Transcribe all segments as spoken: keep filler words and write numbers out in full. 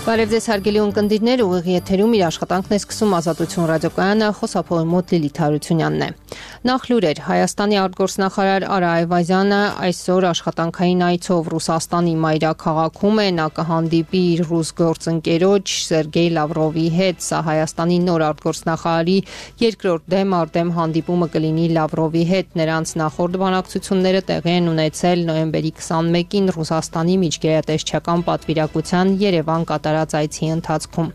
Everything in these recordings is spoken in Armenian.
Բարև ձեզ հարգելի ունկնդիրներ, ուղիղ եթերում իր աշխատանքն է սկսում Ազատություն ռադիոկայանը, խոսափողի մոտ Լիլիթ Հարությունյանն է։ Նախ լուրեր, Հայաստանի արտգործնախարար Արա Այվազյանը այսօր աշխատանքային այցով Ռուսաստանի մայրաքաղաքում է, նա կհանդիպի իր ռուս գործընկերոջ Սերգեյ Լավրովի հետ, սա Հայաստանի նոր արտգործնախարարի երկրորդ դեմ առ դեմ հանդիպումը կլինի Լավրովի հետ, նրանց նախորդ բանակցությունները տեղի են ունեցել նոյեմբերի քսանմեկին Ռուսաստանի միջգերատեսչական պատվիրակության Երևան կատարած այցի ընթացքում։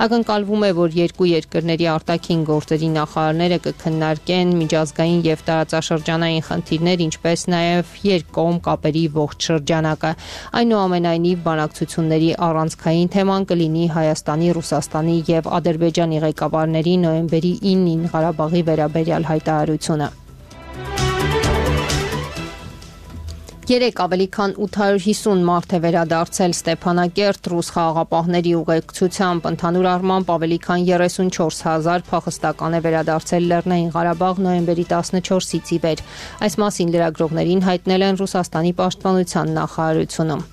Ակնկալվում է, որ երկու երկրների արտաքին գործերի նախարարները կքննարկեն միջազգային եւ տարածաշրջանային խնդիրներ, ինչպես նաեւ երկկողմ կապերի ողջ շրջանակը։ Այնուամենայնիվ, բանակցությունների առանցքային թեման կլինի Հայաստանի, Ռուսաստանի եւ Ադրբեջանի ղեկավարների նոյեմբերի ինին Ղարաբաղի վերաբերյալ հայտարարությունը։ Երեք ավելի քան ութ հարյուր հիսուն մարդ է վերադարձել Ստեփանակերտ ռուս խաղաղապահների ուղեկցությամբ, ընդհանուր առմամբ ավելի քան երեսունչորս հազար փախստական է վերադարձել Լեռնային Ղարաբաղ նոյեմբերի տասնչորսից ի վեր։ Այս մասին լրագրողներին հայտնել են Ռուսաստանի պաշտպանության նախարարությունում։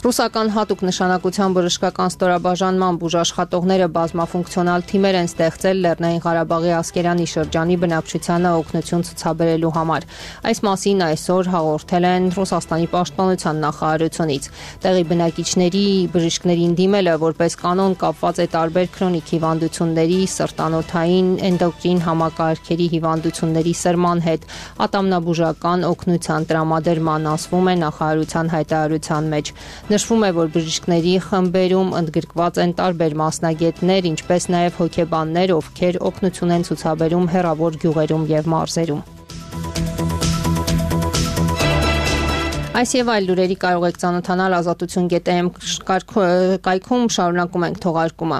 Ռուսական հատուկ նշանակության բժշկական ստորաբաժանման բուժաշխատողները բազմաֆունկցիոնալ թիմեր են ստեղծել Լեռնային Ղարաբաղի Ասկերանի շրջանի բնակչությանը օգնություն ցուցաբերելու համար։ Այս մասին այսօր հաղորդել են Ռուսաստանի պաշտպանության նախարարությունից։ Տեղի բնակիչների բժիշկներին դիմելը որպես կանոն կապված է տարբեր քրոնիկ հիվանդությունների, սրտանոթային, էնդոկրին համակարգերի հիվանդությունների սրման հետ, ատամնաբուժական օգնության տրամադրման, ասվում է նախարարության հայտարարության մեջ։ Նշվում է, որ բժիշկների խմբերում ընդգրկված են տարբեր մասնագետներ, ինչպես նաև հոգեբաններ, ովքեր օգնություն են ցուցաբերում հեռավոր գյուղերում եւ մարզերում։ Այս եւ այլ լուրերի կարող եք ծանոթանալ ազատություն գետ էմ կայքում, շարունակում ենք թողարկումը։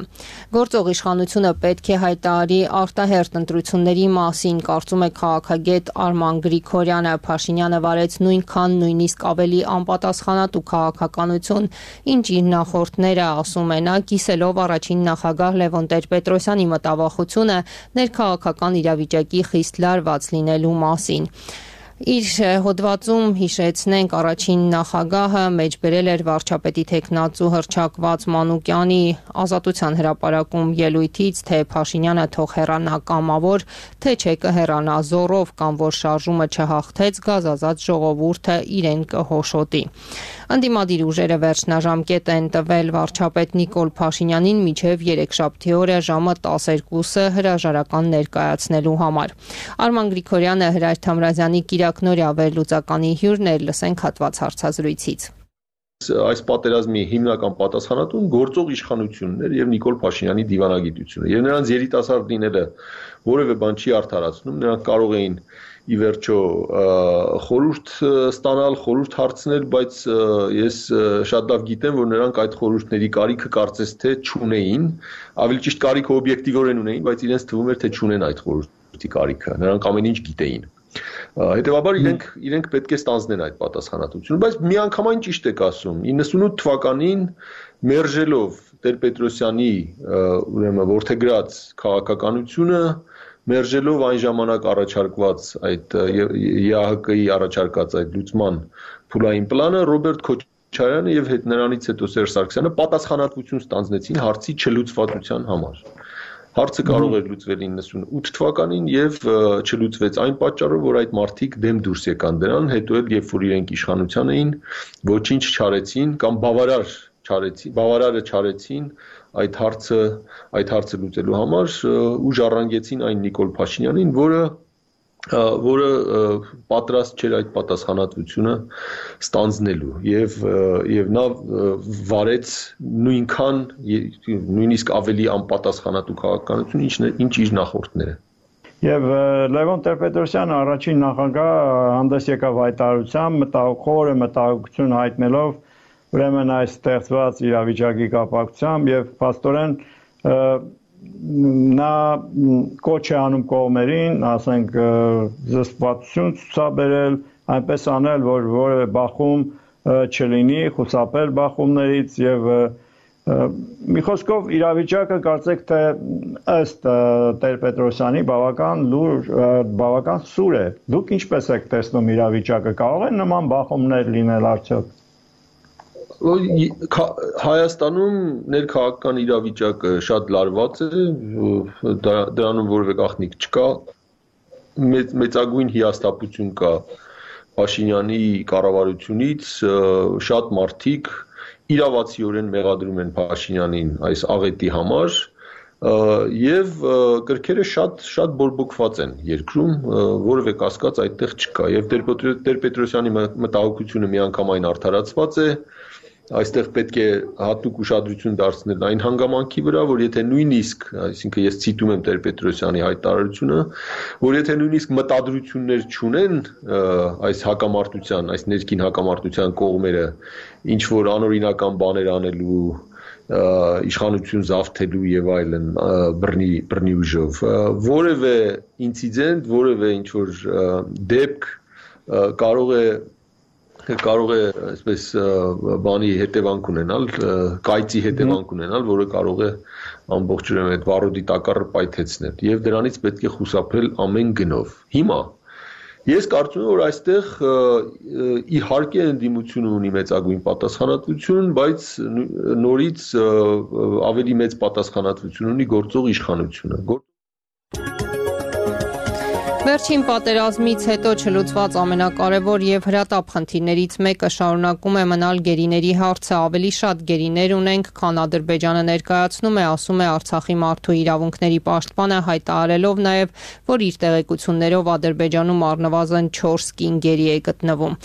Գործող իշխանությունը պետք է հայտարարի արտահերթ ընտրությունների մասին, կարծում է քաղաքագետ Արման Գրիգորյանը։ Փաշինյանը վարեց նույնքան, նույնիսկ ավելի անպատասխանատու քաղաքականություն, ինչ իր նախորդները, ասում է նա, կիսելով առաջին նախագահ Լևոն Տեր-Պետրոսյանի մտավախությունը ներքաղաքական իրավիճակի խիստ լարված լինելու մասին։ Իր հոդվածում հիշեցնենք առաջին նախագահը մեջբերել էր վարչապետի թեկնածու հռչակված Մանուկյանի ազատության հրապարակում ելույթից, թե Փաշինյանը թող հեռանա կամավոր, թե չէ կհեռանա զորով կամ որ շարժումը չհաղթեց, գազազած ժողովուրդը իրեն կհոշոտի։ Ընդդիմադիր ուժերը վերջնաժամկետ են տվել վարչապետ Նիկոլ Փաշինյանին մինչև երեքշաբթի օրը ժամը տասներկուսը հրաժարական ներկայացնելու համար։ Արման Գրիգորյանը Հրայր Թամրազյանի Կիրակնորյա վերլուծականի հյուրն էր, լսենք հատված հարցազրույցից։ Այս պատերազմի հիմնական պատասխանատուն գործող իշխանությունն էր եւ Նիկոլ Փաշինյանի դիվանագիտությունը։ Եվ նրանց երիտասարդ լինելը որևէ բան չի արդարացնում, նրանք կարող էին ի վերջո խորհուրդ ստանալ, խորհուրդ հարցնել, բայց ես շատ լավ գիտեմ, որ նրանք այդ խորհուրդների կարիքը կարծես թե չունեին, ավելի ճիշտ կարիքը օբյեկտիվորեն ունեին, բայց իրենց թվում էր թե չունեն այդ խորհրդի կարիքը, նրանք ամեն ինչ գիտեին։ Հետևաբար իրենք իրենք պետք է ստանձնեն այդ պատասխանատվությունը, բայց միանգամայն ճիշտ եք ասում, իննսունութ թվականին մերժելով Տեր-Պետրոսյանի ուրեմն որդեգրած քաղաքականությունը, մերժելով այն ժամանակ առաջարկված այդ ԵԱՀԿ-ի առաջարկած այդ լուծման փուլային պլանը, Ռոբերտ Քոչարյանը եւ հետ նրանից հետո Սերժ Սարգսյանը պատասխանատվություն ստանձնեցին հարցի չլուծվածության համար։ Հարցը կարող էր լուծվել իննսունութ թվականին եւ չլուծվեց այն պատճառով, որ այդ մարդիկ դեմ դուրս եկան դրան, հետո էլ երբ որ իրենք իշխանության էին, ոչինչ չարեցին կամ բավարար չարեցին, բավարարը չարեցին այդ հարցը այդ հարցը լուծելու համար ու ժառանգեցին այն Նիկոլ Փաշինյանին, որը որը պատրաստ չէր այդ պատասխանատվությունը ստանձնելու եւ եւ նա վարեց նույնքան նույնիսկ ավելի անպատասխանատու քաղաքականություն, ինչ ինչ իր նախորդները։ Եվ Լևոն Տեր-Պետրոսյանը առաջին նախագահ հանդես եկավ հայտարարությամբ, մտահոգ մտահոգություն հայտնելով ուրեմն այս ստեղծված իրավիճակի կապակցությամբ եւ փաստորեն նա կոչ է անում կողմերին, ասենք զսպվածություն ցուցաբերել, այնպես անել, որ որևէ բախում չլինի, խուսափել բախումներից եւ մի խոսքով իրավիճակը կարծեք թե ըստ Տեր-Պետրոսյանի բավական լուր, բավական սուր է։ Դուք ինչպես եք տեսնում իրավիճակը, կարող են նման բախումներ լինել արդյոք։ Հայաստանում ներքաղաքական իրավիճակը շատ լարված է, դրանում որևէ գաղտնիք չկա, մեծ, մեծագույն հիասթափություն կա Փաշինյանի կառավարությունից, շատ մարդիկ իրավացիորեն մեղադրում են Փաշինյանին այս աղետի համար եւ կրքերը շատ շատ բորբոքված են երկրում, որևէ կասկած այդտեղ չկա եւ Տեր-Պետրոսյանի մտահոգությունը միանգամայն արդարացված է, այստեղ պետք է հատուկ ուշադրություն դարձնել այն հանգամանքի վրա, որ եթե նույնիսկ, այսինքն ես ցիտում եմ Տեր-Պետրոսյանի հայտարարությունը, որ եթե նույնիսկ մտադրություններ չունեն այս հակամարտության, այս ներքին հակամարտության կողմերը ինչ որ անօրինական բաներ անելու իշխանություն զավթելու եւ այլն բռնի բռնի ուժով որևէ ինցիդենտ, որևէ ինչ որ դեպք կարող է կարող է այսպես բանի հետևանք ունենալ, կայծի հետևանք ունենալ, որը կարող է ամբողջորեն այդ վառոդի տակառը պայթեցնել եւ դրանից պետք է խուսափել ամեն գնով։ Հիմա ես կարծում եմ, որ այստեղ իհարկե ընդդիմությունը ունի մեծագույն պատասխանատվություն, բայց նորից ավելի մեծ պատասխանատվություն ունի գործող իշխանությունը։ Վերջին պատերազմից հետո չլուծված ամենակարևոր եւ հրատապ խնդիրներից մեկը շարունակում է մնալ գերիների հարցը, ավելի շատ գերիներ ունենք, քան Ադրբեջանը ներկայացնում է, ասում է Արցախի մարդու իրավունքների պաշտպանը, հայտարարելով նաեւ, որ իր տեղեկություններով Ադրբեջանում առնվազն չորս կին գերի է գտնվում։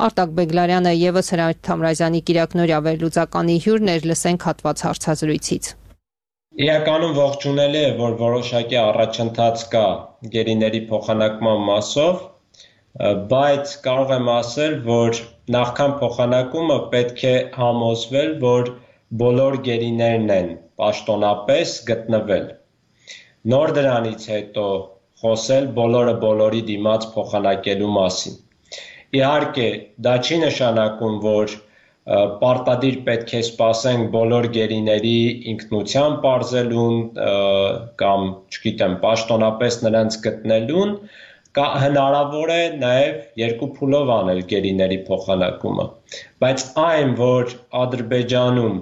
Արտակ Բեգլարյանը եւս Հրանտ Թամրազյանի Կիրակնորյա վերլուծականի հյուրն էր, լսենք հատված հարցազրույցից։ Իրականում ողջունելի է, որ որոշակի առաջընթաց կա գերիների փոխանակման մասով, բայց կարող եմ ասել, որ նախքան փոխանակումը պետք է համոզվել, որ բոլոր գերիներն են պաշտոնապես գտնվել։ Նոր դրանից հետո խոսել բոլորը բոլորի դիմաց փոխանակելու մասին։ Իհարկե, դա չի նշանակում, որ պարտադիր պետք է սպասենք բոլոր գերիների ինքնության պարզելուն կամ, չգիտեմ, պաշտոնապես նրանց գտնելուն, հնարավոր է նաև երկու փուլով անել գերիների փոխանակումը, բայց այն, որ Ադրբեջանում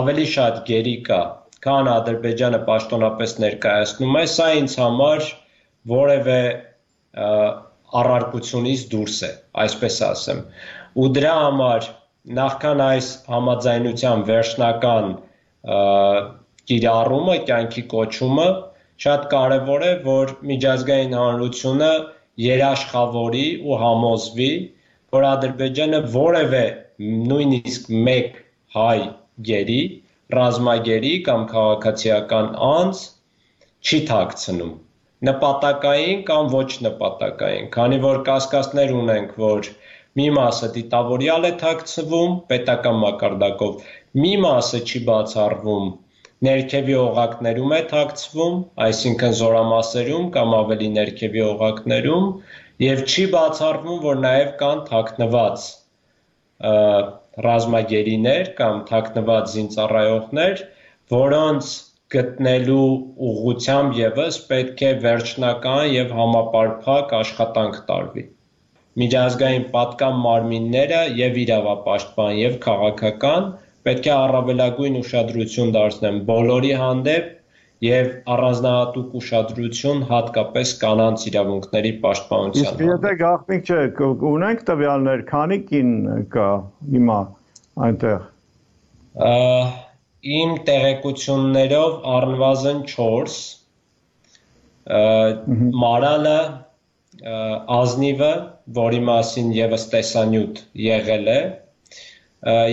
ավելի շատ գերի կա, քան Ադրբեջանը պաշտոնապես ներկայացնում է, սա ինձ համար որևէ առարկությունից դուրս է, այսպես ասեմ, ու դրա համար նախքան այս համաձայնության վերջնական կիրառումը, կյանքի կոչումը, շատ կարևոր է, որ միջազգային հանրությունը երաշխավորի ու համոզվի, որ Ադրբեջանը որևէ նույնիսկ մեկ հայ գերի, ռազմագերի կամ քաղաքացիական անձ չի թաքցնում, նպատակային կամ ոչ նպատակային, քանի որ կասկածներ ունենք, որ մի մասը դիտավորյալ է թաքցվում պետական մակարդակով, մի մասը չի բացառվում, ներքևի օղակներում է թաքցվում, այսինքն զորամասերում կամ ավելի ներքևի օղակներում, եւ չի բացառվում, որ նաեւ կան թաքնված ռազմագերիներ կամ թաքնված զինծառայողներ, որոնց գտնելու ուղղությամբ եւս պետք է վերջնական եւ համապարփակ աշխատանք տարվի։ Միջազգային պատկան մարմինները եւ իրավապաշտպան եւ քաղաքական պետք է առավելագույն ուշադրություն դարձնեն բոլորի հանդեպ եւ առանձնահատուկ ուշադրություն հատկապես կանանց իրավունքների պաշտպանության հանդեպ։ Իսկ եթե գաղտնիք չէ, ունենք տվյալներ, քանի կին կա հիմա այնտեղ։ Իմ տեղեկություններով առնվազն չորս, Մարալը, Ազնիվը, որի մասին եւս տեսանյութ եղել է,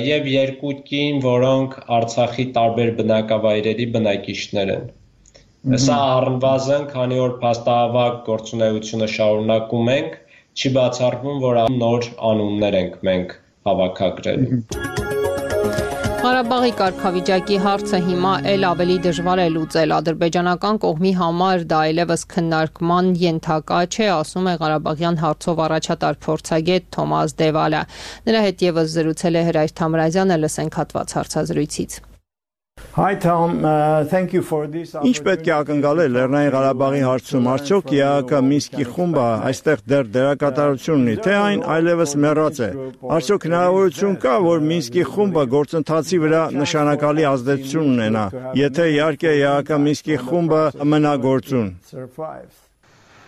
եւ երկու կին, որոնք Արցախի տարբեր բնակավայրերի բնակիչներ են։ Սա առնվազն, քանի որ փաստահավաք գործունեությունը շարունակում ենք, չի բացառվում, որ նոր անուններ ենք մենք հավաքագրելու։ Ղարաբաղի կարգավիճակի հարցը հիմա էլ ավելի դժվար է լուծել։ Ադրբեջանական կողմի համար դա այլևս քննարկման ենթակա չէ, ասում է Ղարաբաղյան հարցով առաջատար փորձագետ Թոմաս Դևալը։ Նրա հետ եւս զրուցել է Հրանտ Թամրազյանը, լսենք հատված հարցազրույցից։ Hi Tom, uh, thank you for this. Ինչ պետք է ակնկալել Լեռնային Ղարաբաղի հարցում, արդյոք ԵԱՀԿ Մինսկի խումբը այստեղ դեռ դերակատարություն ունի, թե այն այլևս մեռած է։ Արդյոք հնարավորություն կա, որ Մինսկի խումբը գործընթացի վրա նշանակալի ազդեցություն ունենա, եթե իհարկե ԵԱՀԿ Մինսկի խումբը մնա գործուն։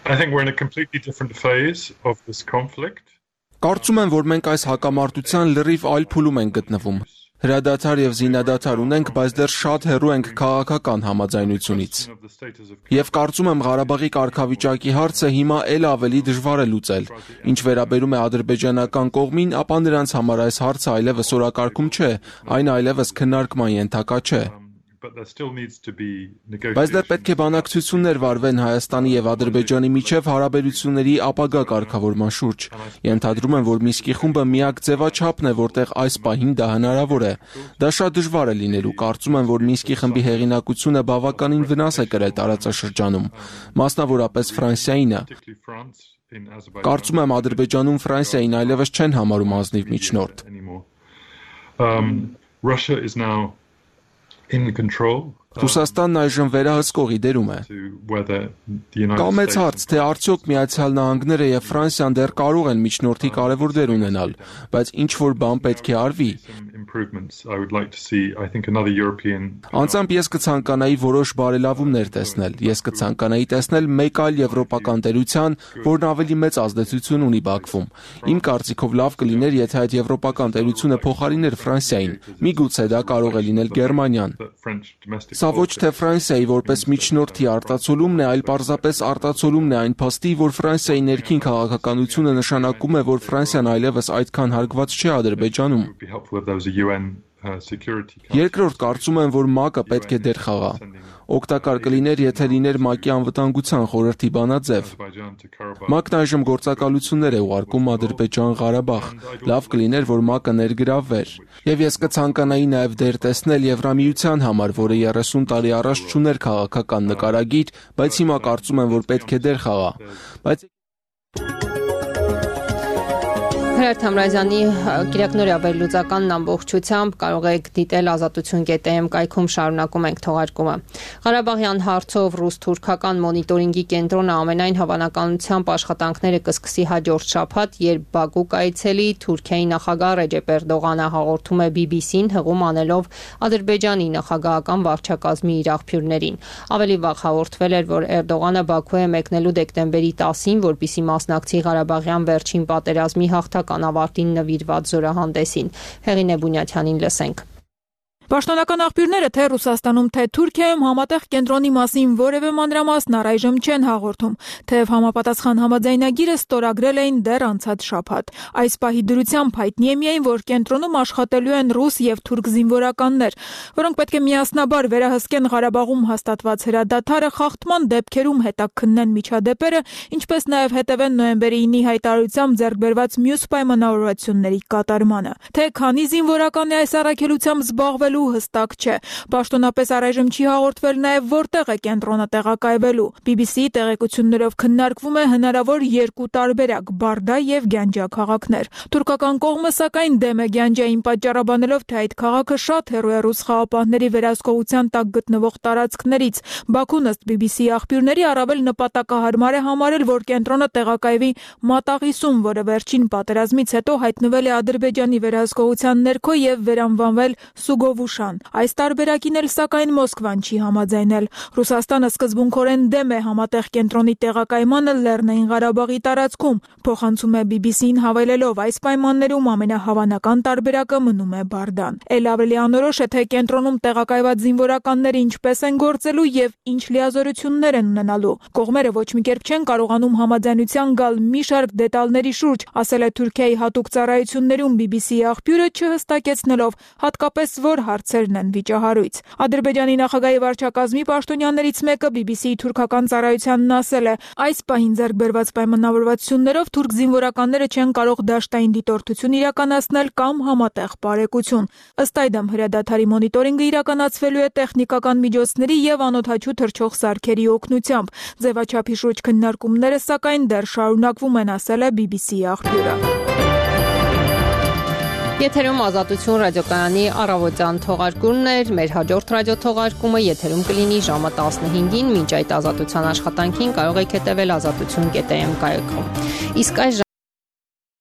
I think we're in a completely different phase of this conflict. Կարծում եմ, որ մենք այս հակամարտության լրիվ այլ փուլում ենք գտնվում։ Հրադադար եւ զինադադար ունենք, բայց դեռ շատ հեռու ենք քաղաքական համաձայնությունից։ Եվ կարծում եմ Ղարաբաղի կարգավիճակի հարցը հիմա էլ ավելի դժվար է լուծել։ Ինչ վերաբերում է ադրբեջանական կողմին, ապա նրանց համար այս հարցը այլևս օրակարգում չէ, այն այլևս քննարկման ենթակա չէ։ Բայց դեռ պետք է բանակցություններ վարվեն Հայաստանի եւ Ադրբեջանի միջև հարաբերությունների ապագա կարգավորման շուրջ։ Ենթադրում եմ, որ Մինսկի խումբը միակ ձևաչափն է, որտեղ այս պահին դա հնարավոր է։ Դա շատ դժվար է լինելու։ Կարծում եմ, որ Մինսկի խմբի հեղինակությունը բավականին վնաս է կրել տարածաշրջանում, մասնավորապես Ֆրանսիայինը։ Կարծում եմ, Ադրբեջանում Ֆրանսիային այլևս չեն համարում ազնիվ միջնորդ։ Russia is now in control. Ռուսաստանն այժմ վերահսկողի դերում է։ Կա մեծ հարց, թե արդյոք Միացյալ Նահանգները եւ Ֆրանսիան դեռ կարող են միջնորդի կարևոր դեր ունենալ, բայց ինչ որ բան պետք է արվի։ Անձամբ ես կցանկանայի որոշ բարելավումներ տեսնել։ Ես կցանկանայի տեսնել մեկ այլ եվրոպական տերության, որն ավելի մեծ ազդեցություն ունի Բաքվում։ Իմ կարծիքով լավ կլիներ, եթե այդ եվրոպական տերությունը փոխարիներ Ֆրանսիային։ Միգուցե դա կարող է լինել Գերմանիան։ Սա ոչ թե Ֆրանսիայի որպես միջնորդի արտացոլումն է, այլ պարզապես արտացոլումն է այն փաստի, որ Ֆրանսիայի ներքին քաղաքականությունը նշանակում է, որ Ֆրանսիան այլևս այդքան հարգված չէ Ադրբեջանում։ Երկրորդ, կարծում եմ, որ ՄԱԿ-ը պետք է դեր խաղա։ Օգտակար կլիներ, եթե լիներ ՄԱԿ-ի անվտանգության խորհրդի բանաձև։ ՄԱԿ-ն այժմ գործակալություններ է ուղարկում Ադրբեջան-Ղարաբաղ։ Լավ կլիներ, որ ՄԱԿ-ը ներգրավվեր։ Եվ ես կցանկանայի նաև դեր տեսնել Եվրամիության համար, որը երեսուն տարի առաջ չուներ քաղաքական նկարագիր, բայց հիմա կարծում եմ, որ պետք է դեր խաղա։ Բայց Հրեր Թամրազյանի Կիրակնորյա վերլուծականն ամբողջությամբ կարող եք դիտել ազատություն կետ էմ կայքում, շարունակում ենք թողարկումը։ Ղարաբաղյան հարցով ռուս-թուրքական մոնիտորինգի կենտրոնը ամենայն հավանականությամբ աշխատանքները կսկսի հաջորդ շաբաթ, երբ Բաքու կայցելի Թուրքիայի նախագահ Ռեջեփ Էրդողանը հաղորդում է բի բի սին, հղում անելով Ադրբեջանի նախագահական վարչակազմի իր աղբյուրներին։ Ավելի վաղ հաղորդվել էր, որ Էրդողանը Բաքու է մեկնելու դեկտեմբերի տասին, որպեսզի մասնակցի Ղարաբաղյան վերջին պատերազմի հաղթական ավարտին նվիրված զորահանդեսին։ Հեղինե Բունյաթյանին լսենք։ Պաշտոնական աղբյուրները թե Ռուսաստանում, թե Թուրքիայում համատեղ կենտրոնի մասին որևէ մանրամասն առայժմ չեն հաղորդում, թեև համապատասխան համաձայնագիրը ստորագրել էին դեռ անցած շաբաթ։ Այս պահի դրությամբ հայտնի է միայն, որ կենտրոնում աշխատելու են ռուս եւ թուրք զինվորականներ, որոնք պետք է միասնաբար վերահսկեն Ղարաբաղում հաստատված հրադադարը, խախտման դեպքերում հետաքննեն միջադեպերը, ինչպես նաեւ հետևեն նոյեմբերի ինի հայտարարությամբ ձեռք բերված մյուս պայմանավորվածությունների կատարմանը։ Թե քանի զինվորական է այս առաքելությամբ զբաղվելու հստակ չէ։ Պաշտոնապես առայժմ չի հաղորդվել նաև որտեղ է կենտրոնը տեղակայվելու։ բի բի սի-ի տեղեկություններով քննարկվում է հնարավոր երկու տարբերակ՝ Բարդա եւ Գանջա քաղաքներ։ Թուրքական կողմը սակայն դեմ է Գանջային, պատճառաբանելով, թե այդ քաղաքը շատ հեռու է ռուս խաղապահների վերահսկողության տակ գտնվող տարածքներից։ Բաքուն ըստ բի բի սի-ի աղբյուրների առավել նպատակահարմար է համարել, որ կենտրոնը տեղակայվի Մատաղիսում, որը վերջին պատերազմից հետո հայտնվել է Ադրբեջանի վերահսկողության ներքո եւ վերանվանվել Սուգովուշան։ Այս տարբերակին էլ սակայն Մոսկվան չի համաձայնել։ Ռուսաստանը սկզբունքորեն դեմ է համատեղ կենտրոնի տեղակայմանը Լեռնային Ղարաբաղի տարածքում, փոխանցում է բի բի սին հավելելով, այս պայմաններում ամենահավանական տարբերակը մնում է Բարդան։ Էլ ավելի անորոշ է, թե կենտրոնում տեղակայված զինվորականները ինչպես են գործելու եւ ինչ լիազորություններ են ունենալու։ Կողմերը ոչ մի կերպ չեն կարողանում համաձայնության գալ մի շարք դետալների շուրջ, ասել է Թուրքիայի հատուկ ծառայություններում բի բի սի-ի աղբյուրը, չհստակեցնելով հատկապես որ հարցերն են վիճահարույց։ Ադրբեջանի նախագահի վարչակազմի պաշտոնյաներից մեկը բի բի սի-ի թուրքական ծառայությանն ասել է. այս պահին ձեռք բերված պայմանավորվածություններով թուրք զինվորականները չեն կարող դաշտային դիտորդություն իրականացնել կամ համատեղ բարեկություն։ Ըստ այդմ հրադադարի մոնիտորինգը իրականացվելու է տեխնիկական միջոցների եւ անօդաչու թռչող սարքերի օգնությամբ։ Ձևաչափի շուրջ քննարկումները սակայն դեռ շարունակվում են, ասել է բի բի սի-ի աղբյուրը։ Եթերում Ազատություն ռադիոկայանի առավոտյան թողարկումն էր, մեր հաջորդ ռադիոթողարկումը եթերում կլինի ժամը տասնհինգին, մինչ այդ ազատության աշխատանքին կարող եք հետևել ազատություն կետ am կայքում։ Իսկ այս